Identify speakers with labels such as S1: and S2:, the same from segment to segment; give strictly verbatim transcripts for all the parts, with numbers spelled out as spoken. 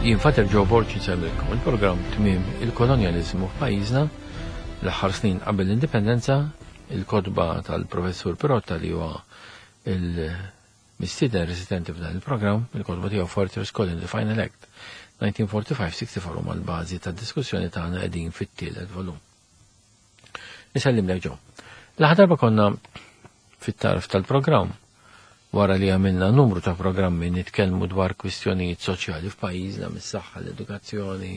S1: Jien Father Joe Borg insellmilkom il-programm Tmiem il-Kolonjaliżmu f'pajjiżna l-aħħar snin qabel l-indipendenza, il-kotba tal-Professur Pirotta li huwa il-mistieden residenti f'dan il-programm, il-kotba tiegħu Fortress Colony The Final Act elf disa' mija u sessja u erbgħin huma l-bażi tad-diskussjoni tagħna, qegħdin fit-tielet volum. Nisellimlek, Joe. L-aħħar darba konna fit-tarf tal-programm wara li għamilna numru ta' programmi nitkellmu dwar kwistjonijiet soċjali f'pajjiżna, mis-saħħa, l-edukazzjoni,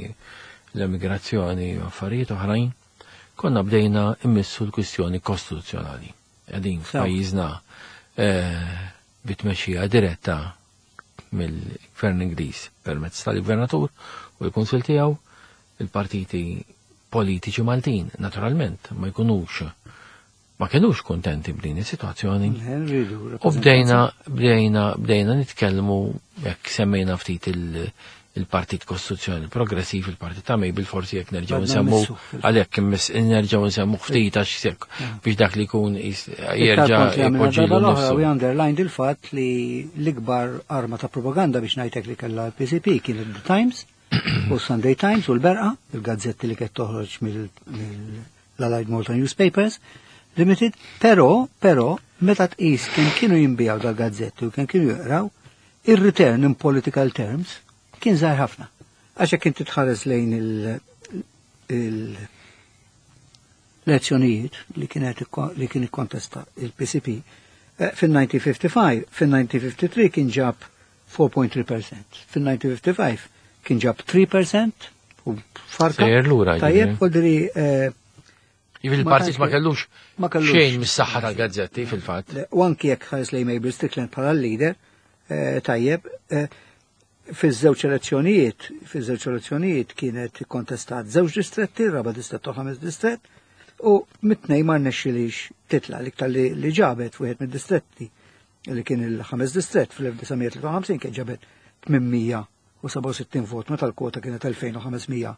S1: l-emigrazzjoni u affarijiet oħrajn, konna bdejna immissu l-kwistjoni kostituzzjonali. Qegħdin f'pajjiżna eh, bitmexxija diretta mill-Gvern Ingliż permezz tal-Gvernatur u l-Kunsil tiegħu. Il-partiti politiċi Maltin naturalment ma jkunux ma kienux kontenti b'din is-sitwazzjoni. U bdejna bdejna bdejna nitkellmu, jekk semmejna ftit il-Partit Kostituzzjoni Progressiv, il-Partit ta' Mabel, forsi jekk nerġgħu nsemmu għalhekk nerġgħu nsemmu ftit għax biex dak li jkun
S2: jerġa' jpoġġilu nifsu. We underlined il-fatt li l-ikbar arma ta' propaganda, biex ngħidlek, li kellha l-P C P kien The Times u Sunday Times u l-Berqa, il-gazzetti li kienet toħroġ mill-Allied Malta Newspapers Limited, però, però, meta tqis kemm kienu jinbiegħu dal-gazzetti u kemm kienu jaqraw, ir-return in political terms kien żgħir ħafna. Għax jekk inti tħares lejn il l-elezzjonijiet li kienet li kien ikkontesta il-P C P, eh, fil-elf disa' mija u ħamsa u ħamsin, fil-elf disa' mija u ħamsa u ħamsin kien ġab erba punt tlieta fil-mija, fil-elf disa' mija u ħamsa u ħamsin kien ġab tlieta fil-mija u farka.
S1: Sejjer lura.
S2: Tajjeb, voldiri eh,
S1: Jiġifieri il-partit ma kellux xejn mis-saħħa tal-gazzetti fil-fatt.
S2: U anki jekk ħares lejn Mabel Strickland bħala leader, eh, tajjeb, eh, fiż-żewġ elezzjonijiet, fiż-żewġ elezzjonijiet kienet kontestat żewġ distretti, raba distret u ħames distret, u mit-tnejn ma rnexxilix titla. L-iktar li ġabet wieħed mid-distretti li kien il-ħames distret fl-elf disa' mija u tlieta u ħamsin kien ġabet tmien mija u sebgħa u sittin vot meta l-kwota kienet elfejn u ħames mija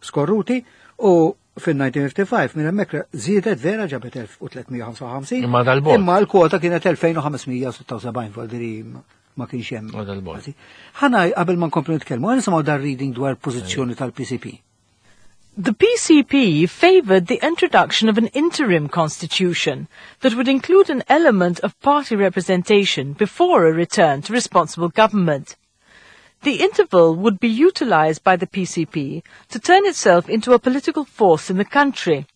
S2: skorruti, u fil-elf disa' mija u ħamsa u ħamsin minn hemmhekk żiedet vera, ġabet elf u tliet mija u ħamsa u ħamsin.
S1: Imma dal-bogħod.
S2: Imma l-kwota kienet elfejn u ħames mija u sitta u sebgħin, voldiri ma kienx hemm.
S1: Ma dal-bogħod.
S2: Ħana qabel ma nkomplu nitkellmu, ħa nisimgħu dar reading dwar pożizzjoni tal-P C P.
S3: The P C P favoured the introduction of an interim constitution that would include an element of party representation before a return to responsible government. The interval would be utilised by the P C P to turn itself into a political force in the country.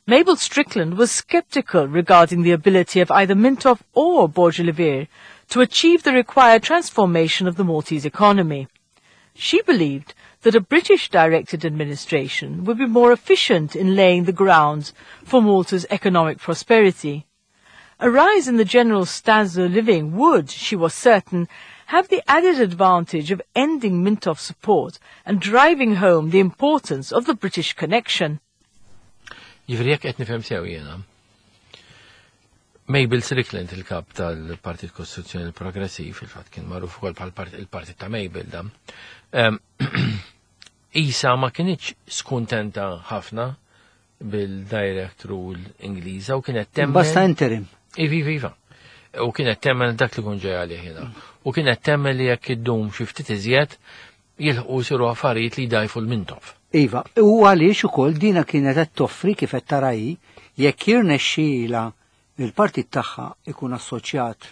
S3: Mabel Strickland was sceptical regarding the ability of either Mintoff or Borg Olivier to achieve the required transformation of the Maltese economy. She believed that a British-directed administration would be more efficient in laying the grounds for Malta's economic prosperity. A rise in the general standard of living would, she was certain, have the added advantage of ending Mintoff's support and driving home the importance of the British connection.
S1: Jiġifieri jekk qed nifhem sew jiena, Mabel Strickland, il-kap tal-Partit Kostituzzjoni Progressiv, fil-fatt kien magħruf ukoll bħal il-Partit ta' Mabel da. Isa ma kinitx skuntenta ħafna bil-direct rule Ingliża u kienet temmen.
S2: Basta interim.
S1: Ivi, iva. U kienet temmen dak li kun ġej għalih jiena. U kienet temmen li jekk iddum xi ftit iżjed jilħqu jsiru affarijiet li jdajfu l-Mintoff.
S2: Iva, u għaliex ukoll dina kienet qed toffri, kif qed tara hi, jekk jirnexxiela il-partit tagħha ikun assoċjat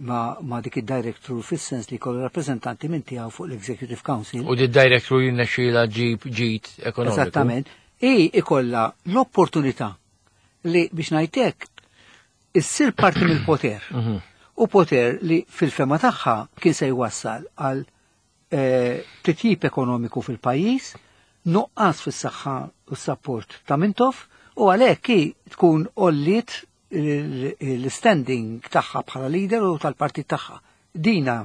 S2: ma, ma dik id-direct rule, fis-sens li jkollu rappreżentanti minn tiegħu fuq l-Executive Council.
S1: U di direct rule jirnexxiela ġib ġid ekonomiku.
S2: Eżattament. I ikolla l-opportunità li, biex ngħidlek, issir parti mill-poter.
S1: Mhm.
S2: U poter li fil-fehma tagħha kien se jwassal għal eh, titjib ekonomiku fil-pajjiż, nuqqas fis-saħħa u s-support ta' Mintoff, u għalhekk hi tkun għolliet l-standing tagħha bħala leader u tal-partit tagħha. Dina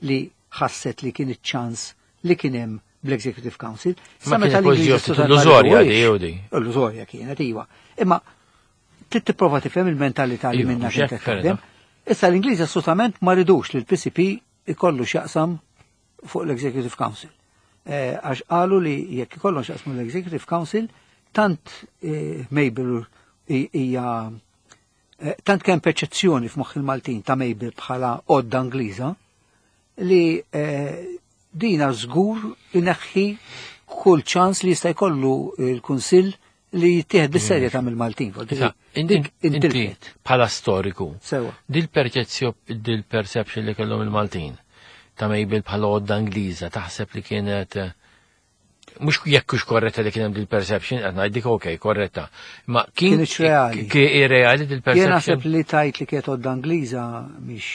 S2: li ħasset li kien iċ-ċans li kien hemm bl-Executive Council.
S1: Ma kienet pożizzjoni illużorja di, jew di.
S2: Illużorja kienet, iva. Imma trid tipprova tifhem il-mentalità li
S1: Iva,
S2: minna
S1: mhux
S2: kienet
S1: hekk, fair
S2: taħdem. Issa l-Ingliż assolutament ma ridux li l-P C P ikollu x'jaqsam fuq l-Executive Council. Eh, Għax qalu li jekk ikollu x'jaqsmu l-Executive Council, tant eh, Mabel hija eh, tant kemm perċezzjoni f'moħħ il-Maltin ta' Mabel bħala għodda Ingliża li eh, Dina żgur ineħħi kull ċans li jista' jkollu l-Kunsill li jittieħed bis-serjetà mill-Maltin.
S1: Inti bħala storiku. Sewa. Dil-perċezzjoni, dil-perception li kellhom il-Maltin ta' Mabel bħala għodda Ingliża, taħseb li kienet mhux jekk hux korretta li kien hemm dil-perception, qed ngħidik okej, korretta. Ma kien
S2: reali.
S1: Kien reali dil-perception.
S2: Jien naħseb li tajt li kienet għodda Ingliża mhix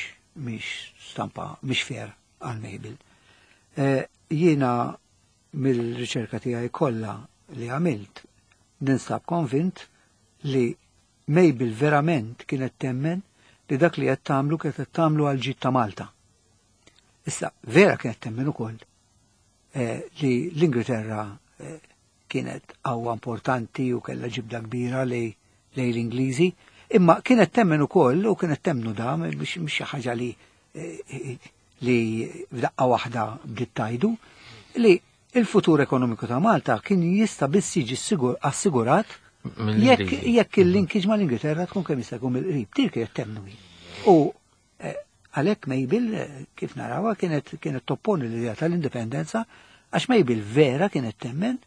S2: mhix stampa, mhix fair għal Mabel. Jiena mill-riċerka tiegħi kollha li għamilt ninsab konvint li Mabel verament kienet temmen li dak li qed tagħmlu kienet qed tagħmlu għal ġid ta' Malta. Issa vera kienet temmen ukoll li l-Ingilterra kienet qawwa importanti u kellha ġibda kbira lej l-Ingliżi, imma kienet temmen ukoll u kienet temmnu da mhix xi ħaġa li li f'daqqa waħda bdiet tajdu li il-futur ekonomiku ta' Malta kien jista' biss jiġi assigurat jekk jekk il-linkage mal-Ingilterra tkun kemm jista' jkun mill-qrib. Dik kienet temmnu. U għalhekk Mabel kif narawha kienet kienet topponi l-idea tal-indipendenza għax Mabel vera kienet temmen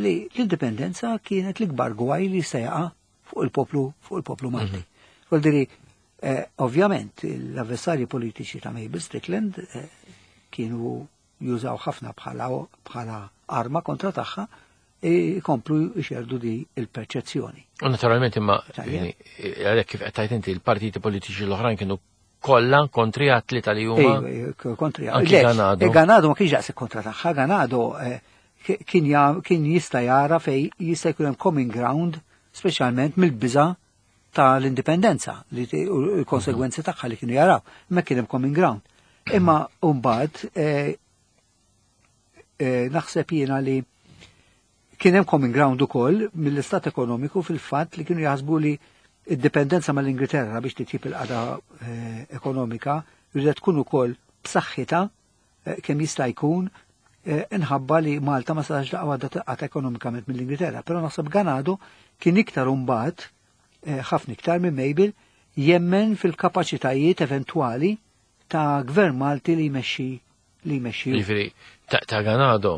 S2: li l-indipendenza kienet l-ikbar gwaj li jista' jaqa' fuq il-poplu fuq il-poplu Malti. Vuol dire, ovvjament l-avversarji politiċi ta' Mabel Strickland kienu jużaw ħafna bħala bħala arma kontra tagħha jkomplu jxerdu di il-perċezzjoni.
S1: U naturalment imma għalhekk kif qed tgħid inti l-partiti politiċi l-oħrajn kienu kollha kontri għat-tlieta li huma.
S2: Kontri. Ganado. Ganado ma kienx daqshekk kontra tagħha, Ganado kien jista' jara fej jista' jkun hemm common ground speċjalment mill-biża' tal-indipendenza li u l-konsegwenzi tagħha li kienu jaraw, imma kien hemm common ground. Imma mbagħad naħseb jiena li kien hemm common ground ukoll mill-istat ekonomiku fil-fatt li kienu jaħsbu li id-dipendenza mal-Ingilterra biex titjib il-qagħda ekonomika rridet tkun ukoll b'saħħitha kemm jista' jkun inħabba li Malta ma setax daqqa waħda tinqata' ekonomikament mill-Ingilterra. Però naħseb Ganado kien iktar imbagħad ħafna iktar minn Mabel jemmen fil-kapaċitajiet eventwali ta' gvern Malti li jmexxi li jmexxi.
S1: Jiġifieri ta' Ganado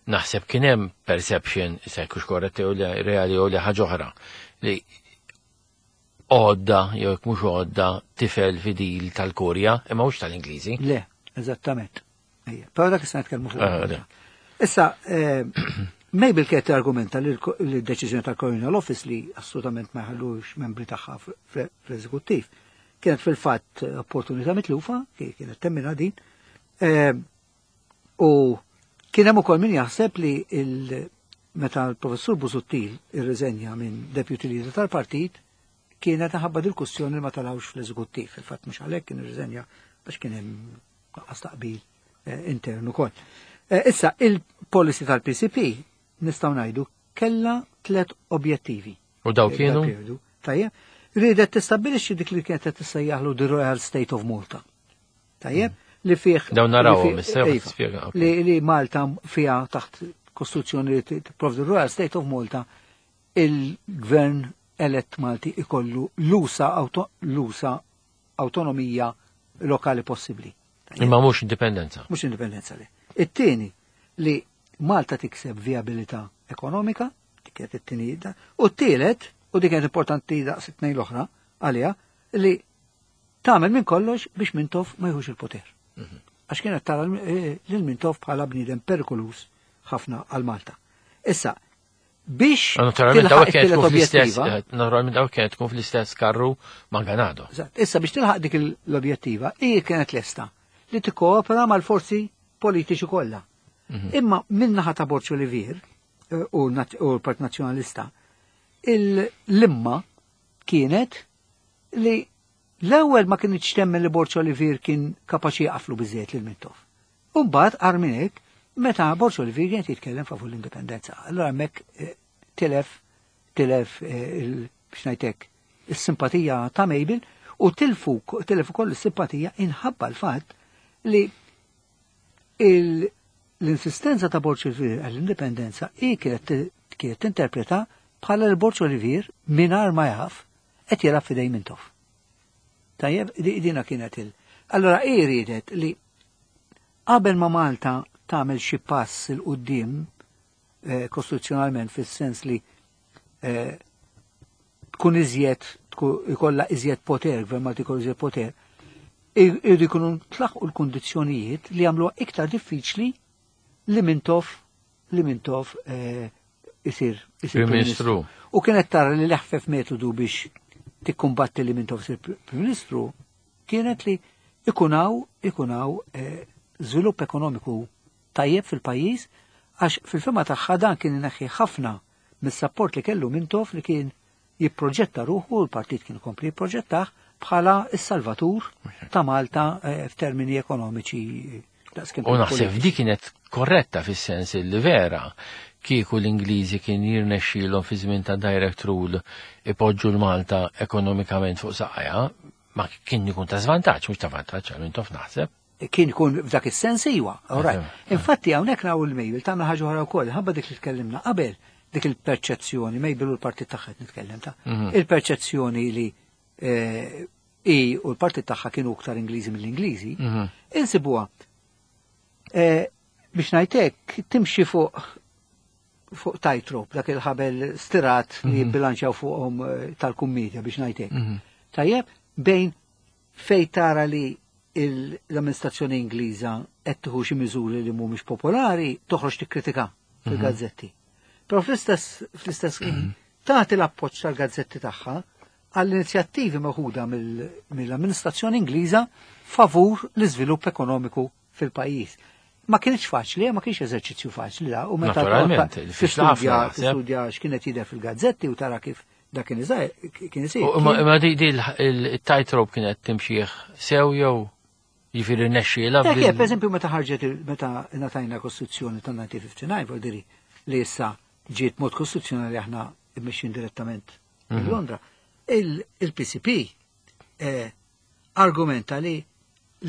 S1: naħseb kien hemm perception, se jkunx korretta jew reali jew li ħaġa oħra, li għodda jew jekk mhux għodda tifel fidil tal-Kurja, imma mhux tal-Ingliżi.
S2: Le, eżattament. Però dak issa nitkellmu fuq. Issa, Mabel kienet argumenta li l-deċiżjoni tal-Colonial Office li assolutament ma jħallux membri tagħha fl-eżekuttiv kienet fil-fatt opportunità mitlufa, kienet temmina din. U kien hemm ukoll min jaħseb li meta l-professur Busuttil irriżenja minn deputy leader tal-partit kienet ħabba dil-kustjoni li ma talawx fl-eżekuttiv. Fil-fatt mhux għalhekk kien irriżenja għax kien hemm nuqqas taqbil intern ukoll. Issa il-policy tal-P C P nistgħu ngħidu kellha tliet objettivi.
S1: U daw kienu?
S2: Tajjeb, riedet tistabbilixxi dik li kienet qed tissejjaħlu the Royal State of Malta. Tajjeb, li fih
S1: dawn narawhom issa tispjega.
S2: Li Malta fiha taħt kostituzzjoni li tipprovdi Royal State of Malta il-gvern elett Malti ikollu l-usa l-usa autonomija lokali possibbli.
S1: Imma mhux indipendenza.
S2: Mhux indipendenza li. It-tieni li Malta tikseb viabilità ekonomika, dik kienet it-tieni, u t-tielet, u dik kienet importanti daqs it-tnejn l-oħra għaliha, li tagħmel minn kollox biex Mintoff ma jħux il-poter. Għax kienet tara lil Mintoff bħala bniedem perikolus ħafna għal Malta. Issa, biex
S1: tilħaq it-tielet objettiva. Naturalment dawk kienet tkun fl-istess karru ma' Ganado.
S2: Issa biex tilħaq dik l-objettiva, hi kienet lesta li tikkoopera mal-forzi politiċi kollha. Imma min-naħa ta' Borg Olivier u l-Partit Nazzjonalista, l-imma kienet li l-ewwel ma kienx temmen li Borg Olivier kien kapaċi jaqaflu biżejjed lil Mintoff. U mbagħad qar minn hekk meta Borg Olivier kien jitkellem favur l-indipendenza. Allura hemmhekk tilef tilef biex ngħidlek is-simpatija ta' Mabel u tilfu tilef ukoll is-simpatija inħabba l-fatt li l-insistenza ta' Borg Olivier għall-indipendenza hi kienet kienet tinterpreta bħala l Borg Olivier mingħajr ma jaf qed jilgħab f'idej Mintoff. Tajjeb, dina kienet il. Allora hi riedet li Qabel ma Malta tagħmel xi pass 'il quddiem eh, kostituzzjonalment, fis-sens li eh, tkun iżjed, ikollha iżjed poter, gvern Malti jkollu iżjed poter, irridu jkunu tlaħqu l-kundizzjonijiet li jagħmluha iktar diffiċli li Mintoff li Mintoff eh, isir
S1: isir Prim Ministru.
S2: U kienet tara li l-eħfef metodu biex tikkumbatti li Mintoff isir Prim Ministru kienet li ikunaw ikunaw eh, żvilupp ekonomiku tajjeb fil-pajjiż, għax fil-fehma tagħha dan kien ineħħi ħafna mis-sapport li kellu Mintoff, li kien jipproġetta ruħu, l-partit kien kompli jipproġettah bħala s-salvatur ta' Malta eh, f'termini ekonomiċi.
S1: U naħseb di kienet korretta, fis-sens li vera kieku l-Ingliżi kien jirnexxielhom fi żmien ta' direct rule ipoġġu l-Malta ekonomikament fuq saqajha, ma kien ikun ta' żvantaġġ, mhux ta' vantaġġ għal Mintoff, naħseb.
S2: Kien ikun f'dak is-sens, iwa. Infatti hawnhekk naw il-Mabel tagħna ħaġa oħra wkoll, ħabba dik li tkellimna qabel, dik il-perċezzjoni, Mabel u l-partit tagħha nitkellem ta' mhm. il-perċezzjoni li eh, i u l-partit tagħha kienu iktar Ingliżi mill-Ingliżi, mhm. insibuha eh, biex ngħidlek timxi fuq fuq tightrope, dak il-ħabel stirat li mhm. jibbilanċjaw fuqhom eh, tal-kummedja, biex ngħidlek. Tajjeb, bejn fej tara li l-amministrazzjoni Ingliża qed tieħu xi miżuri li mhumiex popolari, toħroġ tikkritika fil-gazzetti. Però fl-istess fl-istess ħin tagħti l-appoġġ tal-gazzetti tagħha għall-inizjattivi meħuda mill-amministrazzjoni Ingliża favur l-iżvilupp ekonomiku fil-pajjiż. Ma kienx faċli, ma kienx eżerċizzju faċli da, u meta tistudja tistudja x'kienet jidher fil-gazzetti u tara kif da kien kien isir.
S1: Ma di il-tightrope kienet timxieħ sew jew jiġifieri nexxiela?
S2: Per eżempju, meta ħarġet, meta ngħatajna Kostituzzjoni tan-elf disa' mija u ħamsa u disgħin, vuol li issa ġiet mod kostituzzjonali, aħna immexxin direttament minn mhm. Londra. Il-P C P eh, argumenta li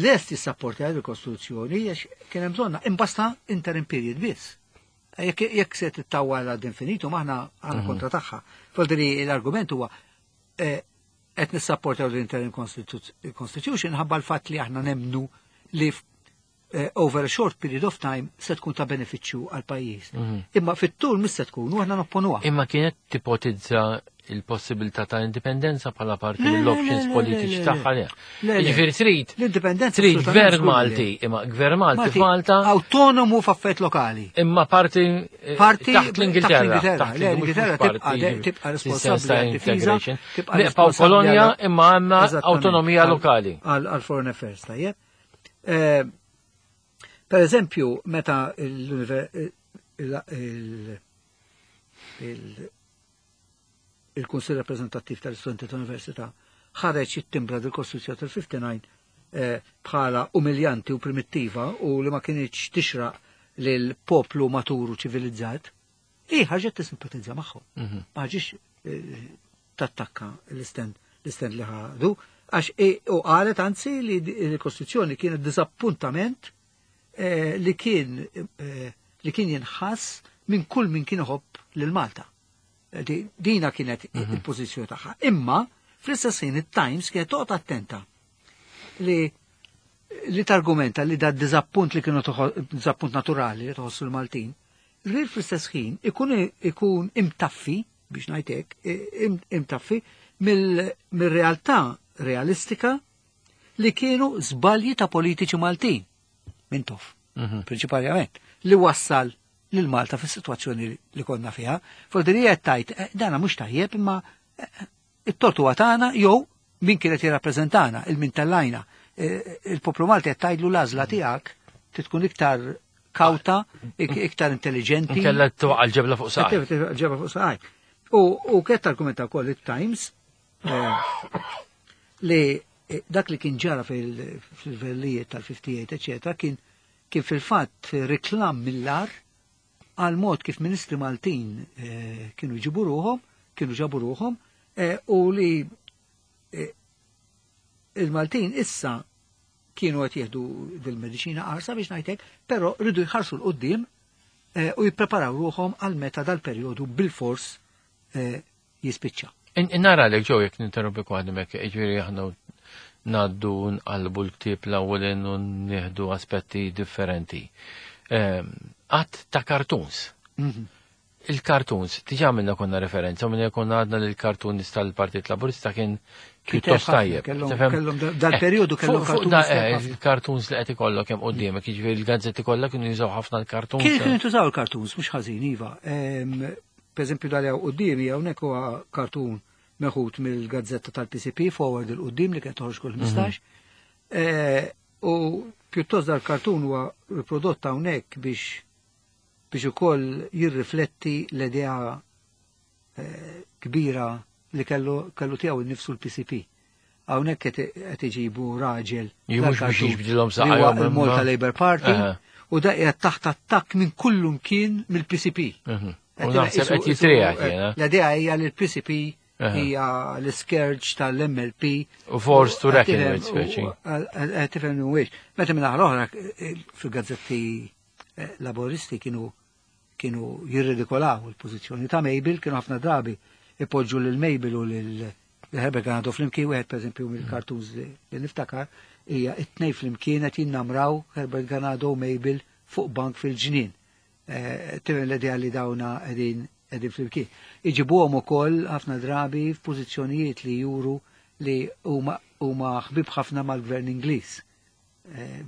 S2: lest jissapporti għal il-Kostituzzjoni għax kien hemm bżonna imbasta interim period biss. Jekk se tittawwal ad infinitum, aħna għandna mhm. kontra tagħha. Vuol l-argument huwa eh, qed nissapportaw l-interim constitution ħabba l-fatt li aħna nemnu li eh, over a short period of time se tkun ta' benefiċċju għal pajjiż. Mhm. Imma fit-tul mis se tkun u aħna nopponuha.
S1: Imma kienet tipotizza il-possibilità ta' indipendenza bħala parti mill-options politiċi tagħha? Jiġifieri trid
S2: l-indipendenza
S1: trid gvern Malti, imma gvern Malti f'Malta
S2: autonomu f'affarijiet lokali.
S1: Imma parti eh,
S2: parti
S1: taħt l-Ingilterra.
S2: Taħt l-Ingilterra, tibqa' tibqa' responsabbli għad-difiża.
S1: Nibqgħu kolonja imma għandna autonomija lokali.
S2: Għal foreign affairs, tajjeb. Eh, per eżempju, meta il il-Kunsill Rappreżentattiv tal-Istudenti tal-Università ħareġ it-timbra del-Kostituzzjoni tal-ħamsa u ħamsin eh, bħala umiljanti u primittiva u li ma kienx tixraq lil poplu maturu ċivilizzat, i ħarġet tisimpatizza magħhom. Mhm. Ma ħarġitx eh, tattakka l-istand l-istand li ħadu, għax u qalet anzi li l-Kostituzzjoni kienet disappuntament eh, li kien li kien jinħass minn kull min kien iħobb lil Malta. Dina kienet mhm. il-pożizzjoni tagħha. Imma fl-istess ħin it-Times kienet toqgħod attenta li li targumenta li da diżappunt li kienu diżappunt naturali li tħossu l-Maltin, li fl-istess ħin ikun ikun imtaffi, biex ngħidlek, imtaffi mill-realtà realistika li kienu żbalji ta' politiċi Maltin, Mintoff, mhm. prinċipalment, li wassal lil Malta fis-sitwazzjoni li konna fiha. Fodrija tajt, eh, dana mhux tajjeb, imma eh, it-tort huwa tagħna jew min kienet jirrappreżentana, il-min tellajna. Eh, il-poplu Malti qed tgħidlu l-għażla tiegħek tkun iktar kawta, iktar intelligenti.
S1: Kella tuqa' l-ġebla fuq saqaj.
S2: Ġebla fuq saqaj. U kienet argumenta wkoll it-Times li dak li kien ġara fil-verlijiet tal-ħamsa u ħamsin, eccetera, kien kien fil-fatt reklam mill-agħar għal mod kif ministri Maltin eh, kienu jġibu ruħhom, kienu ġabu ruħhom, eh, u li eh, il-Maltin issa kienu qed jieħdu dil-mediċina qarsa, biex ngħidlek, però rridu jħarsu 'l quddiem u jippreparaw ruħhom għal meta dal-perjodu bil-fors jispiċċa.
S1: Nara lek ġew jekk ninterrompi kwaħdimek, ġifieri aħna Ngħaddu nqalbu l-ktieb l-ewwel u nieħdu aspetti differenti. Għadd ta' cartoons.
S2: Mhm.
S1: Il-cartoons, diġà minna konna referenza, minna konna għadna li l-cartoons tal-Partit Laburista kien pjuttost tajjeb.
S2: Kellhom dal-periodu kellhom
S1: cartoons. Il-cartoons li qed ikollok hemm quddiemek, jiġifieri il-gazzetti kollha kienu jużaw ħafna l-cartoons.
S2: Kienu jużaw il-cartoons, mhux ħażin, iva. Per eżempju dal quddiemi hawnhekk huwa cartoon meħud mill-gazzetta tal-P C P Forward, 'il Quddiem, li kienet toħroġ kull ħmistax. Mhm. U pjuttost dal-cartoon huwa riprodott hawnhekk biex biex ukoll jirrifletti l-idea eh, kbira li kellu kellu tiegħu innifsu l-P C P. Hawnhekk qed iġibu raġel.
S1: Mhux biex jiġbdilhom
S2: saqajhom. Il-Malta Labour Party u da qiegħed taħt attakk minn kullum kien mill-P C P.
S1: Mhm. U naħseb qed jitriegħed jiena.
S2: L-idea hija li l-P C P hija l-scourge tal-M L P.
S1: U force to reckon with, speċi.
S2: Tifhem mhuwiex. Meta minn l-oħra fil-gazzetti eh, laboristi kienu kienu jirridikolaw il-pożizzjoni ta' Mabel, kienu ħafna drabi ipoġġu lil Mabel u lil Herbert Ganado flimkien. Wieħed, pereżempju, mill-cartoons li niftakar hija it-tnejn flimkien qed jinnamraw, Herbert Ganado u Mabel, fuq bank fil-ġnien. Eh, tifhem l-idea li dawna qegħdin qegħdin flimkien. Iġibuhom ukoll ħafna drabi f'pożizzjonijiet li juru li huma huma ħbib ħafna mal-gvern Ingliż. Eh,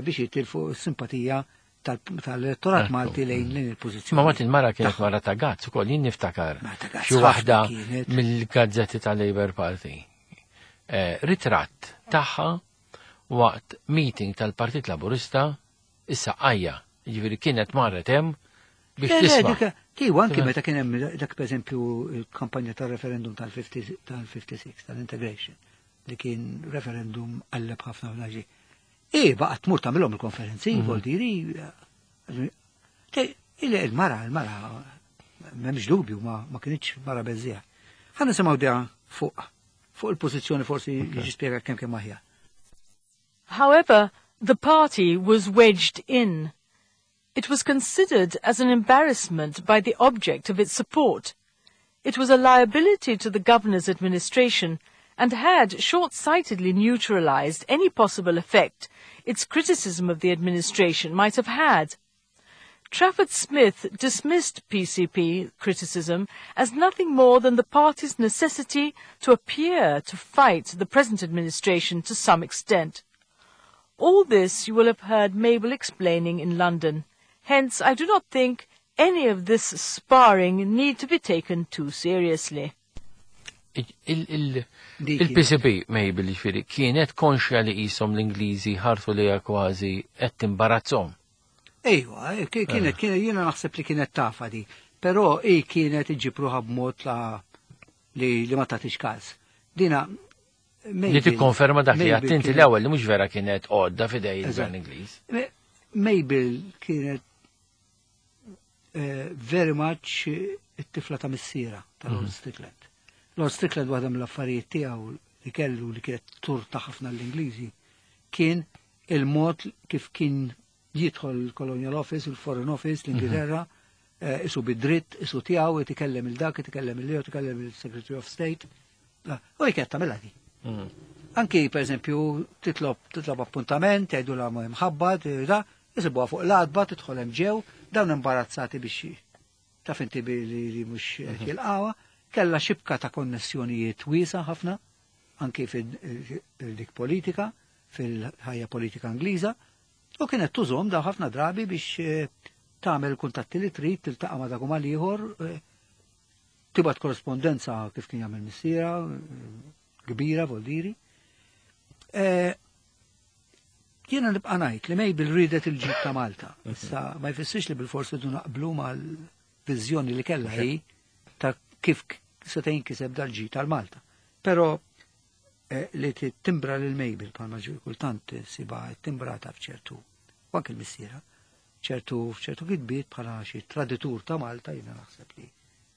S2: biex jitilfu s-simpatija tal-elettorat Malti lejn lejn il-pożizzjoni.
S1: Ma mat il-mara kienet mara ta' guts ukoll, jien niftakar. Xi waħda mill-gazzetti tal-Labour Party. Eh, ritratt tagħha waqt meeting tal-Partit Laburista issa għajja, ġifieri kienet marret hemm biex tisma'.
S2: Tiegħu anki meta kien hemm dak, pereżempju, il-kampanja tal-referendum tal-ħamsa u sittin, tal-integration, li kien referendum qalleb ħafna fl. E, baqgħet tmur tagħmilhom il-konferenzi, mhm. vuol diri. Il-mara, il-mara, m'hemmx dubju, ma, ma kinitx mara beżżiegħa. Ħa nisimgħu dea fuq fuq il-pożizzjoni, forsi jiġi spjega kemm kemm aħjar.
S3: However, the party was wedged in. It was considered as an embarrassment by the object of its support. It was a liability to the governor's administration and had short-sightedly neutralized any possible effect its criticism of the administration might have had. Trafford Smith dismissed P C P criticism as nothing more than the party's necessity to appear to fight the present administration to some extent. All this you will have heard Mabel explaining in London. Hence, I do not think any of this sparring need to be taken too seriously.
S1: Il-P C P, Mabel, ġifieri, kienet konxja li jisom l-Ingliżi ħarsu li kważi qed timbarazzhom.
S2: Ejwa, eh, kienet, kienet, jiena naħseb li kienet tafa di, però i kienet iġġib ruħha b'mod li li ma tagħtix każ. Dina
S1: Li tikkonferma dak li għedt inti l-ewwel, li mhux vera kienet għodda f'idej il-gvern Ingliż.
S2: Mabel kienet eh, very much it-tifla ta' missiera, ta' Lord mhm. Strickland. Lord Strickland, waħda mill-affarijiet tiegħu li kellu li kienet turta ħafna l-Ingliżi kien il-mod kif kien jidħol il-Colonial Office, il-Foreign Office, l-Ingilterra, eh, isu bid-dritt, isu tiegħu, jitkellem il-dak, jitkellem il-liju, jitkellem il-Secretary of State. U jkett tagħmilha di. Mm. Anki, per eżempju, titlob titlob appuntament, jgħidu la ma mħabba, da, jisibuha fuq l-għatba, tidħol hemm ġew, dawn imbarazzati biex taf inti li mhux mhm. jilqawha, kella xibka ta' konnessjonijiet wiesa ħafna, anki fil-dik politika, fil-ħajja politika Ingliża, u kienet tużhom daw ħafna drabi biex eh, tagħmel kuntatti li trid, tiltaqa' ma' dak u mal-ieħor, eh, tibgħat korrespondenza kif kien jagħmel missiera, eh, kbira vuol diri. Jiena nibqa' ngħid li Mabel ridet il-ġid ta' Malta. Issa ma jfissirx li bil-forsi du naqblu mal-viżjoni li kellha hi ta' kif seta' jinkiseb dal-ġid tal-Malta. Però li timbra lil Mabel bħalma ġu kultant siba timbrata f'ċertu, u anke l-missiera, ċertu f'ċertu kitbiet bħala xi traditur ta' Malta, jiena naħseb li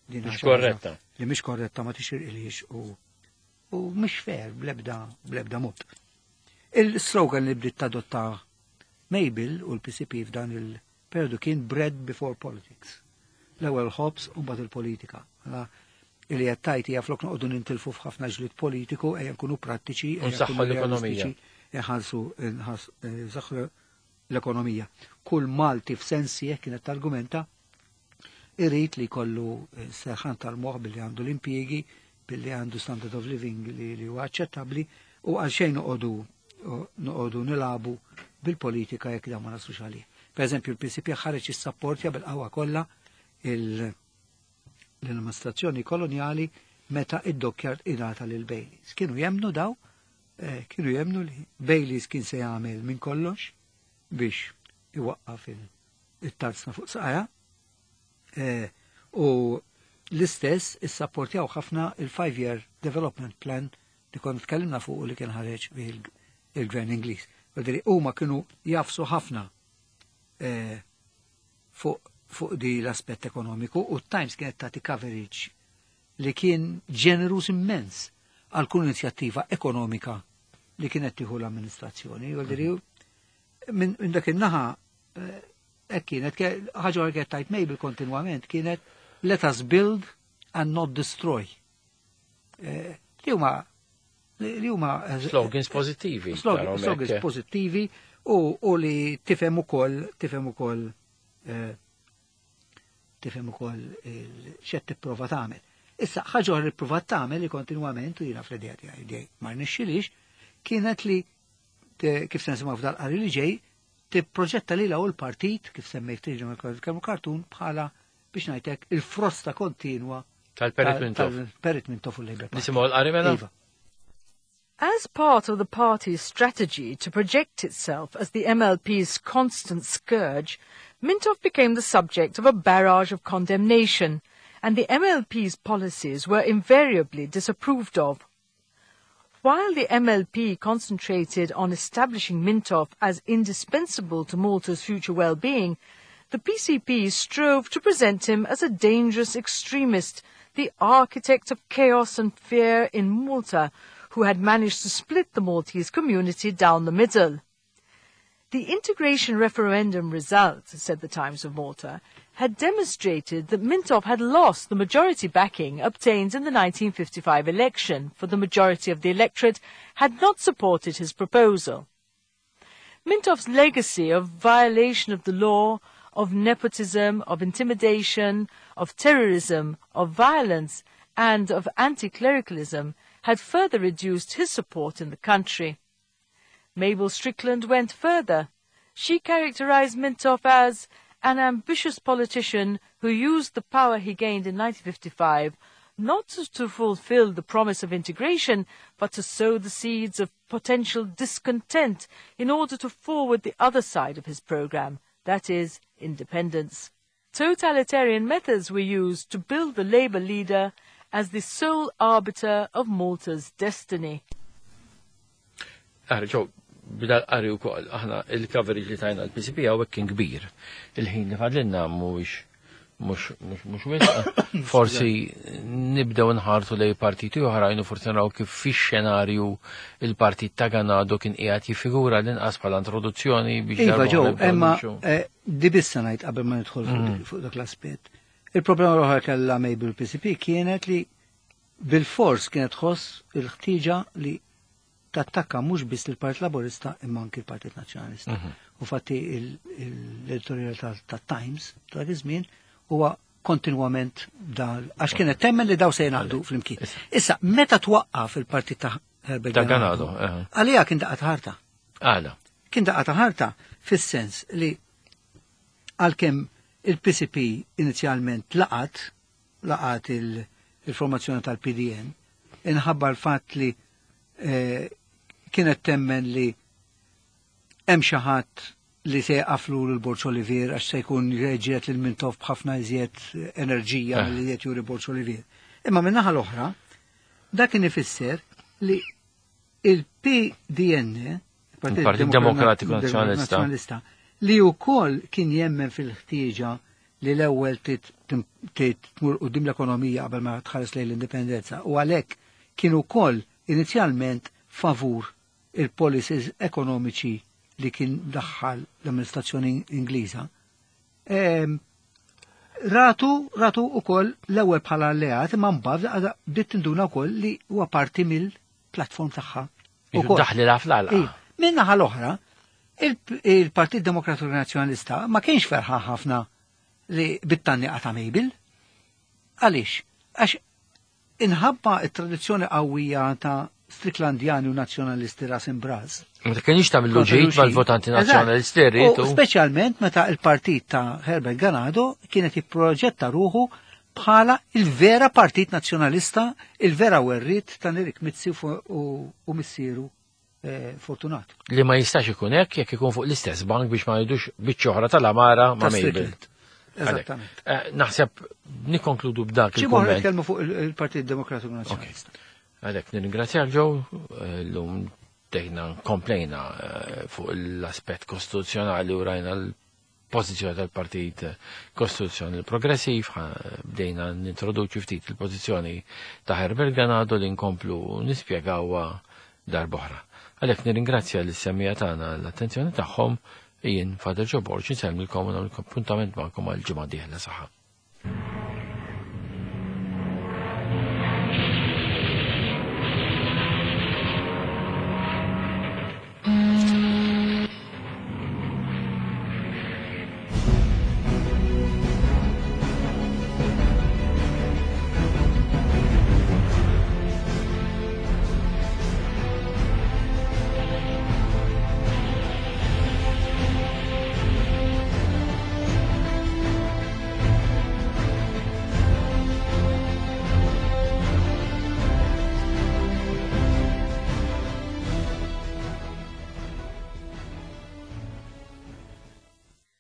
S1: din mhix korretta.
S2: Li mhix korretta, ma tixirqilix u u mhix fair blebda blebda mod. Il-slogan li bdiet tadotta Mabel u l-P C P f'dan il-periodu kien "Bread before politics". L-ewwel ħobż u mbagħad il-politika. Li qed tgħid hija flok noqogħdu nintilfu f'ħafna ġlied politiku, ejja nkunu prattiċi, ejja
S1: Nsaħħu
S2: nkunu
S1: l-ekonomija.
S2: realistiċi, inħarsu nsaħħu l-ekonomija. Kull Malti f'sensi jekk kienet argumenta irrid li jkollu eh, serħan tal-moħ billi għandu l-impjiegi, billi għandu standard of living li, li huwa aċċettabbli u għal xejn noqogħdu noqogħdu nilagħbu bil-politika jekk dan ma naslux għalih. Per eżempju, il-P C P ħareġ issapportja bil-qawwa kollha il- l-amministrazzjoni koloniali meta id-dockyard ingħata lil Baileys. Kienu jemnu daw, eh, kienu jemnu li Baileys kien se jagħmel minn kollox biex iwaqqaf il- it-tarzna fuq saqajha. Eh, u l-istess issapportjaw ħafna il-five-year development plan li konna tkellimna fuq u li kien ħareġ bih il-gvern Ingliż. Vuoldiri, huma kienu jagħfsu ħafna eh, fuq fuq di l-aspett ekonomiku u Times kienet tagħti coverage li kien ġenerus immens għal kull inizjattiva ekonomika li kienet tieħu l-amministrazzjoni. Vuoldiri, minn min dak in-naħa eh, hekk kienet ke- ħaġa oħra kienet tgħid Mabel kontinwament kienet "Let us build and not destroy." Eh, Li huma li li huma eh,
S1: Slogans pozittivi.
S2: slogan-
S1: taraw
S2: slogans
S1: hekk.
S2: pozittivi u, u li tifhem ukoll tifhem ukoll eh, tifhem ukoll il- x'qed tipprova tagħmel. Issa ħaġa oħra li provat tagħmel li kontinwament u jiena fl-idea tiegħi dej ma rnexxilix kienet li te- kif se nisimgħu f'dal-qari li ġej tipproġetta lilha u l-partit kif semmejt tiġi kemm kartun bħala biex ngħidlek il-frosta kontinwa
S1: Tal-Perit Mintoff.
S2: Tal-Perit Mintoff u l-Labour Party.
S1: Nisimgħu l-qari mela?
S2: Iva.
S3: As part of the party's strategy to project itself as the M L P's constant scourge, Mintoff became the subject of a barrage of condemnation, and the M L P's policies were invariably disapproved of. While the M L P concentrated on establishing Mintoff as indispensable to Malta's future well-being, the P C P strove to present him as a dangerous extremist, the architect of chaos and fear in Malta, who had managed to split the Maltese community down the middle. The integration referendum result, said the Times of Malta, had demonstrated that Mintoff had lost the majority backing obtained in the nineteen fifty-five election, for the majority of the electorate had not supported his proposal. Mintoff's legacy of violation of the law, of nepotism, of intimidation, of terrorism, of violence, and of anti-clericalism had further reduced his support in the country. Mabel Strickland went further. She characterized Mintoff as an ambitious politician who used the power he gained in nineteen fifty-five not to fulfill the promise of integration, but to sow the seeds of potential discontent in order to forward the other side of his program, that is, independence. Totalitarian methods were used to build the Labour leader as the sole arbiter of Malta's destiny.
S1: Aħri, ġo, bidal qari u koll, aħna il-coverage li tajna l-P C P hawnhekk kien kbir. Il-ħin li fadlinna mhuwiex mhux mhux mhux wisq. Forsi nibdew nħarsu lej partiti oħrajn u forsi naraw kif fix-xenarju il-partit ta' Ganado kien qiegħed jiffigura l-inqas bħala introduzzjoni biex
S2: Iva,
S1: darba
S2: ġew,
S1: nibdew
S2: imma
S1: nimxu.
S2: eh, di bissa ngħid qabel ma nidħol fuq dik- fuq dak l-aspett. Il-problema l-oħra kellha Mabel P C P kienet li bil-fors kienet tħoss il-ħtieġa li tattakka mhux biss il-Partit Laburista imma anki l-Partit Nazzjonalista. U fatti l-editorial ta' Times ta' dak iż-żmien huwa kontinwament dal għax kienet temmen li daw se jingħaqdu flimkien. Issa, meta twaqqaf il-partit ta' Herbert
S1: Ta' Ganado, eh.
S2: għalija kien daqqa ta' ħarta.
S1: Għala.
S2: Kien daqqa ta' ħarta fis-sens li għalkemm il-P C P inizjalment laqat laqat il- il-formazzjoni tal-P D N inħabba l-fatt li eh, kienet temmen li hemm xi ħadd li se jaqaflu lil Borg Olivier għax se jkun reġiet lil Mintoff b'ħafna iżjed enerġija
S1: Eh.
S2: milli qed juri Borg Olivier. Imma min-naħa l-oħra, dak kien ifisser li il-P D N,
S1: Il-Partit Demokratiku Nazzjonalista.
S2: Nazzjonalista, li wkoll kien jemmen fil-ħtieġa li l-ewwel tit tmur quddiem l-ekonomija qabel ma tħares lejn l-indipendenza u għalhekk kien ukoll inizjalment favur il-policies ekonomiċi li kien daħħal l-amministrazzjoni Ingliża. Em, Ratu, ratu ukoll l-ewwel bħala alleat, imma mbagħad bdiet tinduna wkoll li huwa parti mill-platform tagħha.
S1: Ukoll. Daħli la fl-għalqa.
S2: Min-naħa l-oħra, il-Partit Demokratiku Nazzjonalista ma kienx ferħan ħafna li bit-tgħanniqa ta' Mabel. Għaliex? Għax inħabba it-tradizzjoni qawwija ta' Stricklandjani u nazzjonalisti ras imb'ras.
S1: Ma kienx tagħmlu ġid mal-votanti nazzjonalisti rritu.
S2: Speċjalment meta il-partit ta' Herbert Ganado kienet jipproġetta ruħu bħala il-vera partit nazzjonalista, il-vera werriet ta' Nerik Mizzi u missieru eh, Fortunato.
S1: Li ma jistax ikun hekk jekk ikun fuq l-istess bank biex ma jidux biċċa oħra tal-amara ma' Mabel.
S2: Eżattament.
S1: Eh, naħseb nikkonkludu b'dak il-kumment.
S2: Nitkellmu fuq il-Partit Demokratiku Nazzjonalista.
S1: Għalhekk nirringrazzjak Joe, llum dejna komplejna eh, fuq l-aspett kostituzzjonali u rajna l-pożizzjoni tal-Partit Kostituzzjonali Progressiv, bdejna nintroduċu ftit il-pożizzjoni ta' Herbert Ganado li nkomplu nispjegawha darb'oħra. Għalhekk nirringrazzja lis-semmiegħa tagħna l-attenzjoni tagħhom, jien Father Joe Borg insellmilkom u nagħmel appuntament magħkom għal ġimgħa dieħla saħħa.